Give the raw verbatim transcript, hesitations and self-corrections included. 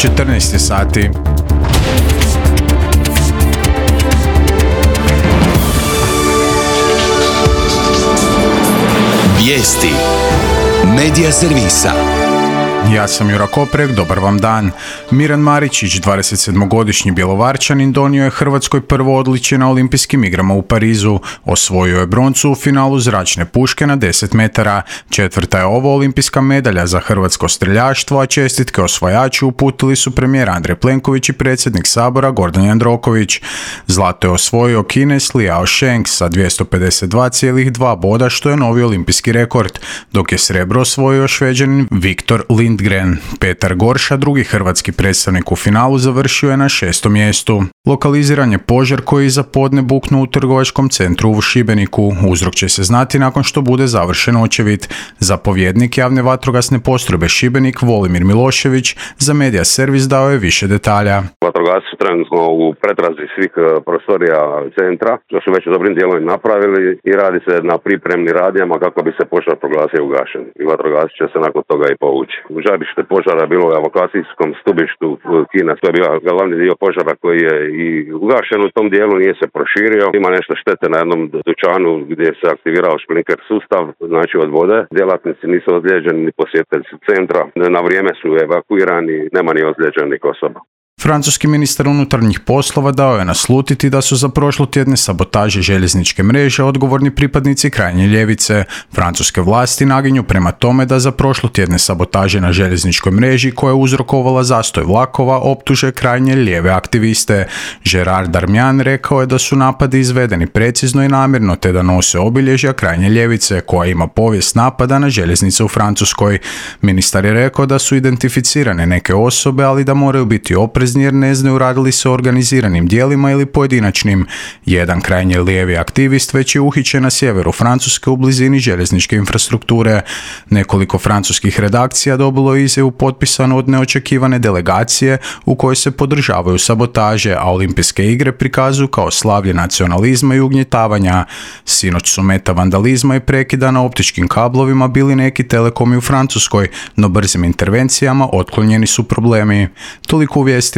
četrnaest je sati. Vijesti Medija servisa. Ja sam Jura Koprek, dobar vam dan. Miran Maričić, dvadesetsedmogodišnji Bjelovarčanin, donio je Hrvatskoj prvo odličje na olimpijskim igrama u Parizu. Osvojio je broncu u finalu zračne puške na deset metara. Četvrta je ovo olimpijska medalja za hrvatsko streljaštvo, a čestitke osvajaču uputili su premijer Andrej Plenković i predsjednik Sabora Gordan Jandroković. Zlato je osvojio Kinez Liao Sheng sa dvjesto pedeset dva zarez dva boda, što je novi olimpijski rekord, dok je srebro osvojio Šveđanin Viktor Lindgren. Petar Gorša, drugi hrvatski predstavnik u finalu, završio je na šestom mjestu. Lokaliziran je požar koji iza podne buknuo u trgovačkom centru u Šibeniku. Uzrok će se znati nakon što bude završen očevid. Zapovjednik javne vatrogasne postrojbe Šibenik Volimir Milošević za Medija servis dao je više detalja. Vatrogasci su trenutno u pretrazi svih prostorija centra, što su već u dobrim dijelovima napravili i radi se na pripremnim radnjama kako bi se požar proglasio ugašen. I vatrogasci će se nakon toga i povući. Žarište požara je bilo u evakuacijskom stubištu Kina, to je bio glavni dio požara koji je i ugašen u tom dijelu, nije se proširio. Ima nešto štete na jednom dućanu gdje se aktivirao šplinker sustav, znači od vode. Djelatnici nisu ozlijeđeni ni posjetitelji centra, na vrijeme su evakuirani, nema ni ozlijeđenih osoba. Francuski ministar unutarnjih poslova dao je naslutiti da su za prošlotjedne sabotaže željezničke mreže odgovorni pripadnici krajnje ljevice. Francuske vlasti naginju prema tome da za prošlotjedne sabotaže na željezničkoj mreži koja je uzrokovala zastoj vlakova optuže krajnje lijeve aktiviste. Gerard Darmian rekao je da su napadi izvedeni precizno i namjerno te da nose obilježja krajnje ljevice koja ima povijest napada na željeznice u Francuskoj. Ministar je rekao da su identificirane neke osobe, ali da moraju biti oprezni jer ne znaju radili se o organiziranim dijelima ili pojedinačnim. Jedan krajnje lijevi aktivist već je uhićen na sjeveru Francuske u blizini željezničke infrastrukture. Nekoliko francuskih redakcija dobilo je izjavu potpisanu od neočekivane delegacije u kojoj se podržavaju sabotaže, a olimpijske igre prikazuju kao slavlje nacionalizma i ugnjetavanja. Sinoć su meta vandalizma i prekida na optičkim kablovima bili neki telekomi u Francuskoj, no brzim intervencijama otklonjeni su problemi. Toliko u vijestima.